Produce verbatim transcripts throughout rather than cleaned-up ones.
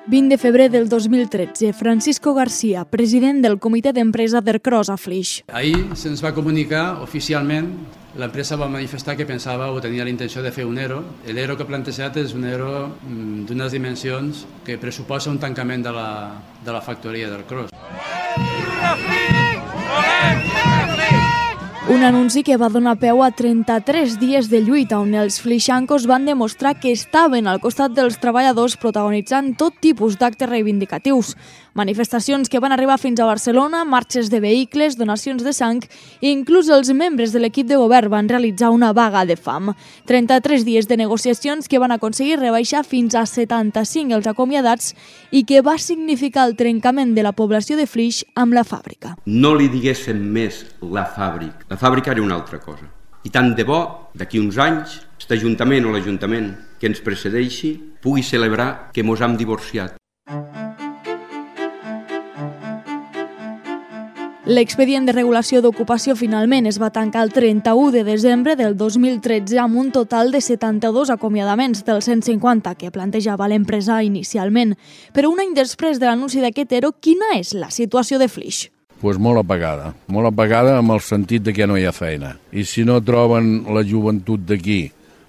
vint de febrer del dos mil tretze, Francisco García, president del comitè d'empresa d'Ercros a Flix. Ahir se'ns va comunicar oficialment, l'empresa va manifestar que pensava o tenia la intenció de fer un ERO. L'ERO que ha plantejat és un ERO d'unes dimensions que pressuposa un tancament de la, de la factoria d'Ercros. Un anunci que va donar peu a trenta-tres dies de lluita on els flixancos van demostrar que estaven al costat dels treballadors protagonitzant tot tipus d'actes reivindicatius. Manifestacions que van arribar fins a Barcelona, marxes de vehicles, donacions de sang i inclús els membres de l'equip de govern van realitzar una vaga de fam. trenta-tres dies de negociacions que van aconseguir rebaixar fins a setanta-cinc els acomiadats i que va significar el trencament de la població de Flix amb la fàbrica. No li diguéssim més la fàbrica. La fàbrica era una altra cosa. I tant de bo, d'aquí uns anys, aquest ajuntament o l'ajuntament que ens precedeixi pugui celebrar que mos hem divorciat. L'expedient de regulació d'ocupació finalment es va tancar el trenta-u de desembre del dos mil tretze amb un total de setanta-dos acomiadaments dels cent cinquanta que plantejava l'empresa inicialment. Però un any després de l'anunci d'aquest ERO, quina és la situació de Flix? Pues molt apagada, molt apagada amb el sentit de que no hi ha feina. I si no troben la joventut d'aquí,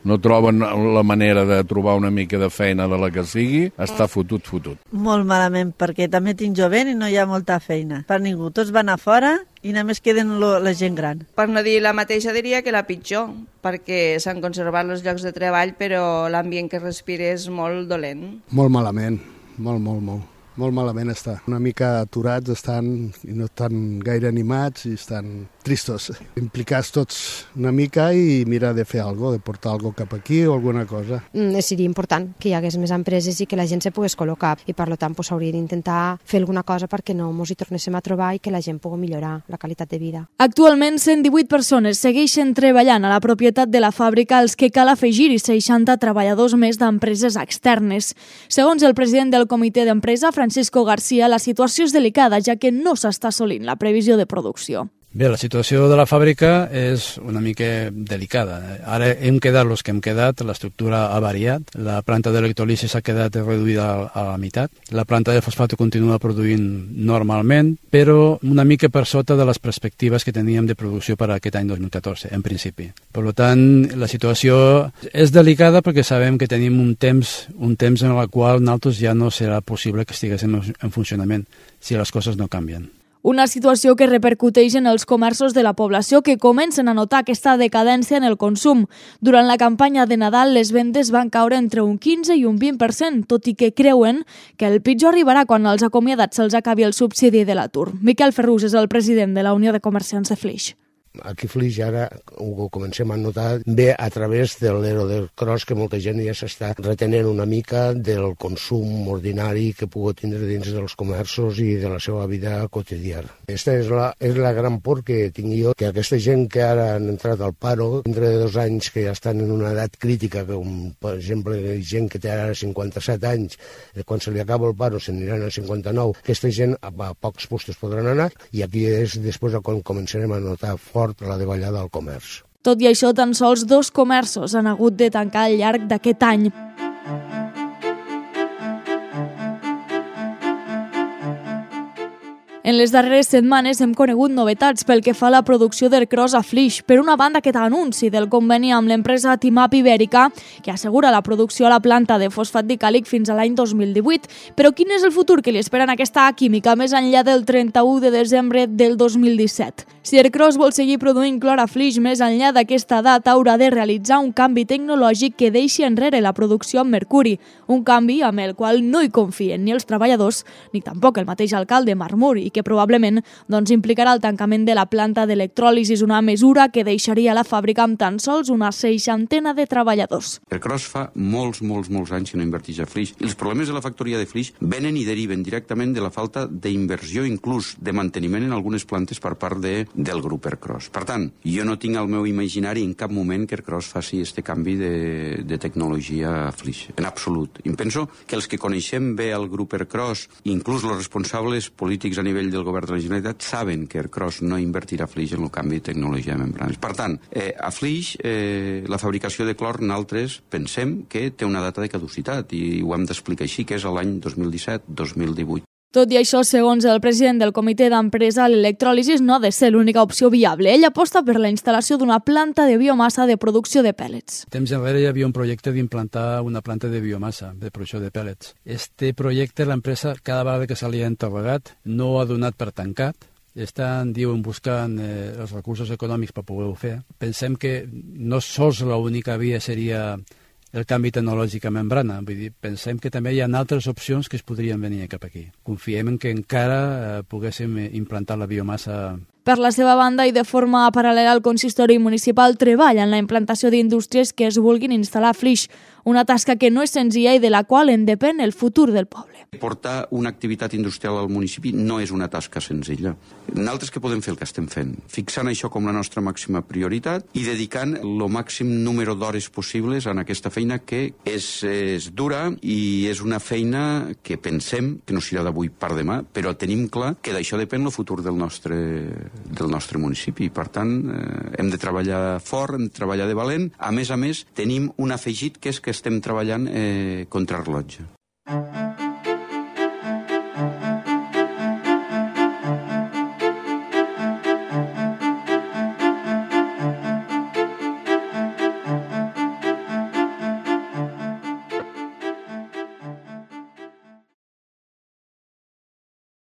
no troben la manera de trobar una mica de feina de la que sigui, està fotut, fotut. Molt malament, perquè també tinc jovent i no hi ha molta feina. Per ningú, tots van a fora i només queden lo, la gent gran. Per no dir la mateixa, diria que la pitjor, perquè s'han conservat els llocs de treball, però l'ambient que respira és molt dolent. Molt malament, molt, molt, molt. Molt malament està. Una mica aturats estan i no estan gaire animats i estan tristos. Implicats tots una mica i mirar de fer alguna cosa, de portar alguna cosa cap aquí o alguna cosa. Mm, seria important que hi hagués més empreses i que la gent se pogués col·locar i per tant pues, hauria d'intentar fer alguna cosa perquè no ens hi tornéssim a trobar i que la gent pugui millorar la qualitat de vida. Actualment, cent divuit persones segueixen treballant a la propietat de la fàbrica, als que cal afegir-hi seixanta treballadors més d'empreses externes. Segons el president del comitè d'empresa, Francisco García, la situació és delicada, ja que no s'està assolint la previsió de producció. Bé, la situació de la fàbrica és una mica delicada. Ara hem quedat els que hem quedat, l'estructura ha variat, la planta d'electròlisi s'ha quedat reduïda a la meitat, la planta de fosfato continua produint normalment, però una mica per sota de les perspectives que teníem de producció per a aquest any dos mil catorze, en principi. Per tant, la situació és delicada perquè sabem que tenim un temps, un temps en el qual nosaltres ja no serà possible que estiguéssim en funcionament si les coses no canvien. Una situació que repercuteix en els comerços de la població que comencen a notar aquesta decadència en el consum. Durant la campanya de Nadal, les vendes van caure entre un quinze i un vint per cent, tot i que creuen que el pitjor arribarà quan als acomiadats se'ls acabi el subsidi de l'atur. Miquel Ferrús és el president de la Unió de Comerciants de Flix. Aquí a Flix ara ho comencem a notar bé a través de l'ERO d'Ercros, que molta gent ja s'està retenent una mica del consum ordinari que pugui tindre dins dels comerços i de la seva vida quotidiana. Aquesta és la, és la gran por que tinc jo, que aquesta gent que ara han entrat al paro, dintre de dos anys que ja estan en una edat crítica, com per exemple gent que té ara cinquanta-set anys, quan se li acaba el paro se n'aniran a cinquanta-nou, aquesta gent a pocs puestos podran anar i aquí és després quan començarem a notar fort la davallada del comerç. Tot i això, tan sols dos comerços han hagut de tancar al llarg d'aquest any. En les darreres setmanes hem conegut novetats pel que fa a la producció d'Ercros a Flix. Per una banda, aquest anunci del conveni amb l'empresa Timap Ibèrica, que assegura la producció a la planta de fosfat dicàlic fins a l'any dos mil divuit. Però quin és el futur que li espera en aquesta química més enllà del trenta-u de desembre del dos mil disset? Si Ercros vol seguir produint clor a Flix més enllà d'aquesta data, haurà de realitzar un canvi tecnològic que deixi enrere la producció amb mercuri, un canvi amb el qual no hi confien ni els treballadors ni tampoc el mateix alcalde Marmur, i que que probablement doncs, implicarà el tancament de la planta d'electròlisi, una mesura que deixaria la fàbrica amb tan sols una seixantena de treballadors. Ercros fa molts, molts, molts anys que no inverteix a Flix. I els problemes de la factoria de Flix venen i deriven directament de la falta d'inversió, inclús de manteniment en algunes plantes per part de del grup Ercros. Per tant, jo no tinc al meu imaginari en cap moment que Ercros faci este canvi de, de tecnologia a Flix, en absolut. I em penso que els que coneixem bé el grup Ercros, inclús els responsables polítics a nivell del govern de la Generalitat, saben que Ercros no invertirà a Flix en el canvi de tecnologia de membranes. Per tant, eh, a Flix eh, la fabricació de clor nosaltres pensem que té una data de caducitat i ho hem d'explicar així, que és l'any dos mil disset dos mil divuit. Tot i això, segons el president del comitè d'empresa, l'electròlisi no ha de ser l'única opció viable. Ell aposta per la instal·lació d'una planta de biomassa de producció de pèl·lets. Temps enrere hi havia un projecte d'implantar una planta de biomassa de producció de pèl·lets. Este projecte, l'empresa, cada vegada que se li ha encarregat, no ha donat per tancat. Estan, diuen, buscant eh, els recursos econòmics per poder-ho fer. Pensem que no sols l'única via seria el canvi tecnològic a membrana. Vull dir, pensem que també hi ha altres opcions que es podrien venir cap aquí. Confiem en que encara eh, poguéssim implantar la biomassa. Per la seva banda i de forma paral·lela al consistori municipal treballa en la implantació d'indústries que es vulguin instal·lar a Flix, una tasca que no és senzilla i de la qual en depèn el futur del poble. Portar una activitat industrial al municipi no és una tasca senzilla. Nosaltres que podem fer el que estem fent? Fixant això com la nostra màxima prioritat i dedicant el màxim número d'hores possibles en aquesta feina que és, és dura i és una feina que pensem que no serà d'avui per demà, però tenim clar que d'això depèn el futur del nostre, del nostre municipi. Per tant, eh, hem de treballar fort, hem de treballar de valent. A més a més, tenim un afegit que és que estem treballant eh, contra rellotge.